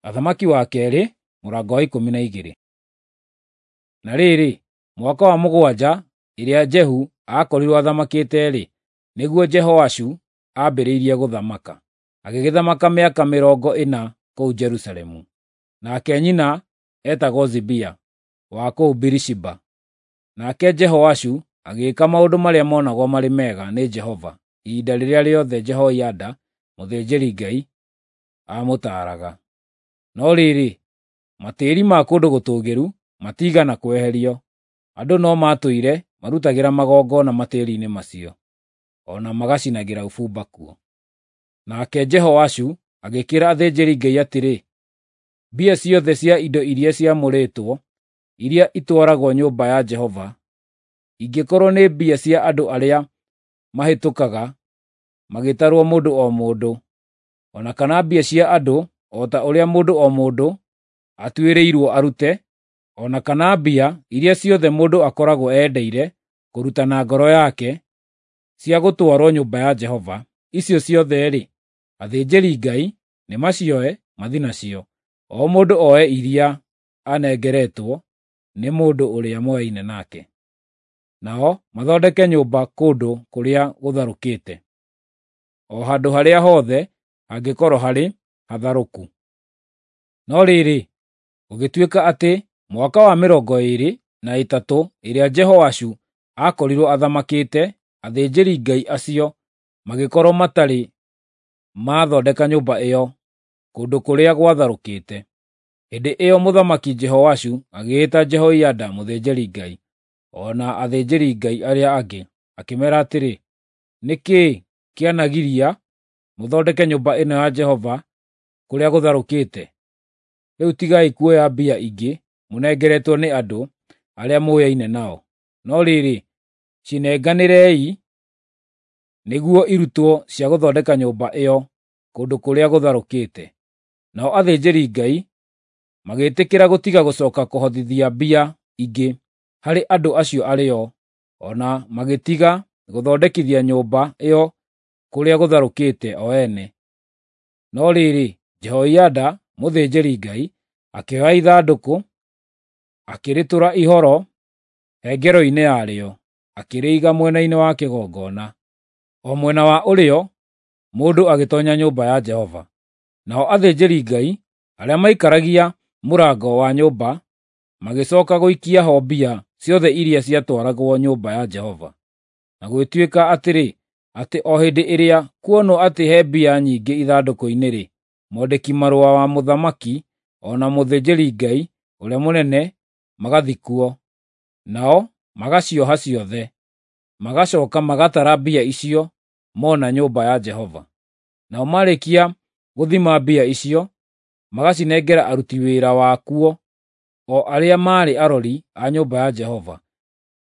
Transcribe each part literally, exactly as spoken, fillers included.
Athamaki wa keerĩ mũrango wa ikũmi na igĩrĩ. Na rĩrĩ, mwaka wa mũgwanja ĩrĩa Jehu aakorirwo athamakĩte-rĩ, nĩguo Jehoashu aambĩrĩirie gũthamaka. Agĩgĩthamaka mĩaka mĩrongo ĩna kũu Jerusalemu. Nake nyina eetagwo Zibia wa kũu Birishiba. Nake Jehoashu agĩĩka maũndũ marĩa monagwo marĩ mega nĩ Jehova ihinda rĩrĩa rĩothe Jehoiada mũthĩnjĩri-Ngai aamũtaaraga. No rĩrĩ, matĩĩri ma kũndũ gũtũũgĩru matiigana kweherio, andũ no maatũire marutagĩra magongona matĩĩri-inĩ macio, o na magacinagĩra ũbumba kuo. Nake Jehoashu agĩkĩĩra athĩnjĩri-Ngai atĩrĩ, “Mbia ciothe cia indo iria ciamũrĩtwo, iria itwaragwo nyũmba ya Jehova, ingĩkorwo nĩ mbia cia andũ arĩa mahĩtũkaga magĩtarwo mũndũ o mũndũ, o na kana mbia cia andũ o ta ũrĩa mũndũ o mũndũ atuĩrĩirwo arute, o na kana mbia iria ciothe mũndũ akoragwo eendeire kũruta na ngoro yake cia gũtwarwo nyũmba ya Jehova, icio ciothe-rĩ, athĩnjĩri-Ngai nĩmacioe mathiĩ nacio, o mũndũ oe iria anengeretwo nĩ mũndũ ũrĩa moyaine nake. Nao mathondeke nyũmba kũndũ kũrĩa gũtharũkĩte, o handũ harĩa hothe hangĩkorwo harĩ hatharũku.” No rĩrĩ, gũgĩtuĩka atĩ mwaka wa mĩrongo ĩĩrĩ na ĩtatũ ĩrĩa Jehoashu aakorirwo athamakĩte, athĩnjĩri-Ngai acio magĩkorwo matarĩ maathondeka nyũmba ĩyo kũndũ kũrĩa gwatharũkĩte. Hĩndĩ ĩyo Mũthamaki Jehoashu agĩĩta Jehoiada mũthĩnjĩri-Ngai, o na athĩnjĩri-Ngai arĩa angĩ, akĩmeera atĩrĩ, “Nĩ kĩĩ kĩanagiria mũthondeke nyũmba ĩno ya Jehova kũrĩa gũtharũkĩte? Rĩu tigai kuoya mbia ingĩ mũnengeretwo nĩ andũ arĩa mũyaine nao, no rĩrĩ, cinenganĩrei nĩguo irutwo cia gũthondeka nyũmba ĩyo kũndũ kũrĩa gũtharũkĩte.” Nao athĩnjĩri-Ngai magĩtĩkĩra gũtiga gũcooka kũhothithia mbia ingĩ harĩ andũ acio arĩo, o na magĩtiga gũthondekithia nyũmba ĩyo kũrĩa gũtharũkĩte o ene. No rĩrĩ, Jehoiada mũthĩnjĩri-Ngai akĩoya ithandũkũ, akĩrĩtũra ihoro hengero-inĩ yarĩo, akĩrĩiga mwena-inĩ wa kĩgongona, o mwena wa ũrĩo mũndũ agĩtoonya nyũmba ya Jehova. Nao athĩnjĩri-Ngai arĩa maikaragia mũrango wa nyũmba magĩcooka gũikia ho mbia ciothe iria ciatwaragwo nyũmba ya Jehova. Na gũgĩtuĩka atĩrĩ, atĩ o hĩndĩ ĩrĩa kuonwo atĩ he mbia nyingĩ ithandũkũ-inĩ-rĩ, mwandĩki-marũa wa mũthamaki o na mũthĩnjĩri-Ngai ũrĩa mũnene magathiĩ kuo, nao magacioha ciothe, magacooka magatara mbia icio mona nyũmba ya Jehova. Nao marĩkia gũthima mbia icio, magacinengera aruti wĩra wakuo, o arĩa maarĩ arori a nyũmba ya Jehova.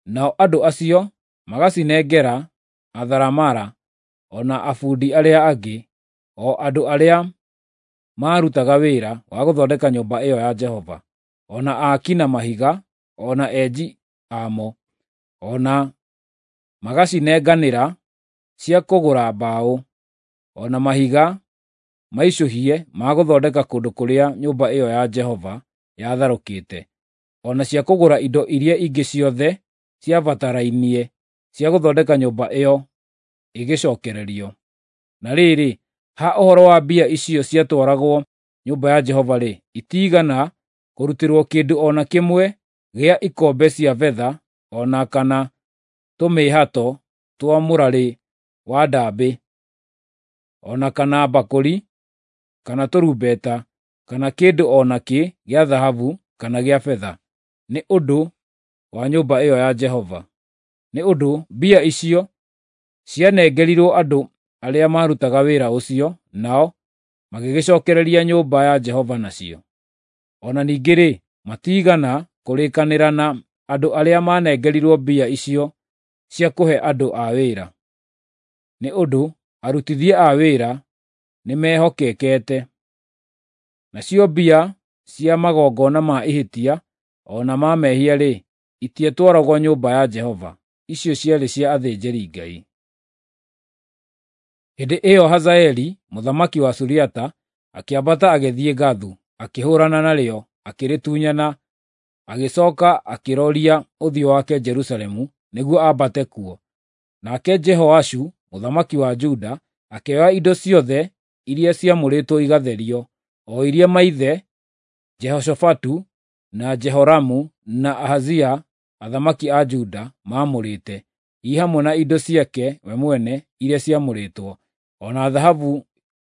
Nao andũ acio magacinengera atharamara o na abundi arĩa angĩ, o andũ arĩa maarutaga wĩra wa gũthondeka nyũmba ĩyo ya Jehova, o na aaki na mahiga, o na enji amo, o na magacinenganĩra cia kũgũra mbaũ, o na mahiga maicũhie ma gũthondeka kũndũ kũrĩa nyũmba ĩyo ya Jehova yatharũkĩte, o na cia kũgũra indo iria ingĩ ciothe ciabatarainie cia gũthondeka nyũmba ĩyo ĩgĩcookererio. Na rĩrĩ, ha ũhoro wa mbia icio ciatwaragwo nyũmba ya Jehova-rĩ, itiigana kũrutĩrwo kĩndũ o na kĩmwe gĩa ikombe cia betha o na kana tũmĩĩhato twa mũrarĩ wa ndaambĩ, o na kana mbakũri, kana tũrumbeta, kana kĩndũ o nakĩ gĩa thahabu kana gĩa betha, nĩ ũndũ wa nyũmba ĩyo ya Jehova. Nĩ ũndũ mbia icio cianengerirwo andũ arĩa maarutaga wĩra ũcio, nao magĩgĩcookereria nyũmba ya Jehova nacio. O na ningĩ-rĩ, matiigana kũrĩkanĩra na andũ arĩa maanengerirwo mbia icio cia kũhe andũ a wĩra, nĩ ũndũ arutithia a wĩra nĩmehokekete. Nacio mbia cia magongona ma ihĩtia o na ma mehia-rĩ, itiatwaragwo nyũmba ya Jehova, icio ciarĩ cia athĩnjĩri-Ngai. Hĩndĩ ĩyo Hazaeli mũthamaki wa Suriata akĩambata agĩthiĩ Gathu, akĩhũũrana narĩo, akĩrĩtunyana, agĩcooka akĩroria ũthiũ wake Jerusalemu nĩguo ambate kuo. Nake Jehoashu mũthamaki wa Juda akĩoya indo ciothe iria ciamũrĩtwo igatherio, o iria maithe Jehoshafatu na Jehoramu na Ahazia athamaki a Juda maamũrĩte, i hamwe na indo ciake we mwene iria ciamũrĩtwo, o na thahabu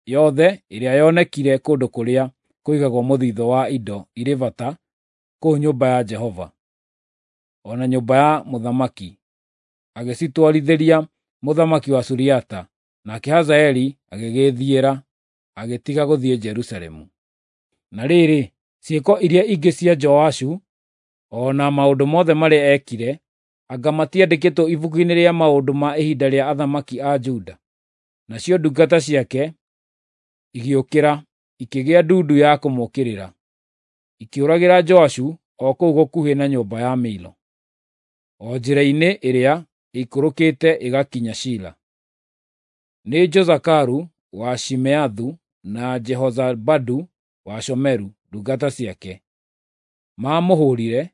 yothe ĩrĩa yonekire kũndũ kũrĩa kũigagwo mũthithũ wa indo irĩ bata kũu nyũmba ya Jehova, o na nyũmba ya mũthamaki, agĩcitwarithĩria mũthamaki wa Suriata. Nake Hazaeli agĩgĩĩthiĩra, agĩtiga gũthiĩ Jerusalemu. Na rĩrĩ, ciĩko iria ingĩ cia Joashu, o na maũndũ mothe marĩa eekire, anga matiandĩkĩtwo ibuku-inĩ rĩa maũndũ ma ihinda rĩa athamaki a Juda? Nacio ndungata ciake igĩũkĩra, ikĩgĩa ndundu ya kũmũũkĩrĩra, ikĩũragĩra Joashu o kũu gũkuhĩ na nyũmba ya Milo, o njĩra-inĩ ĩrĩa ĩikũrũkĩte ĩgakinya Shila. Nĩ Jozakaru wa Shimeathu na Jehozabadu wa Shomeru, ndungata ciake, maamũhũũrire,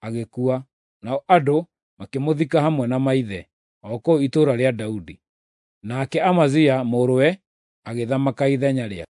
agĩkua, nao andũ makĩmũthika hamwe na maithe, o kũu itũũra rĩa Daudi. Nake Amazia mũrũwe agĩthamaka ithenya rĩake.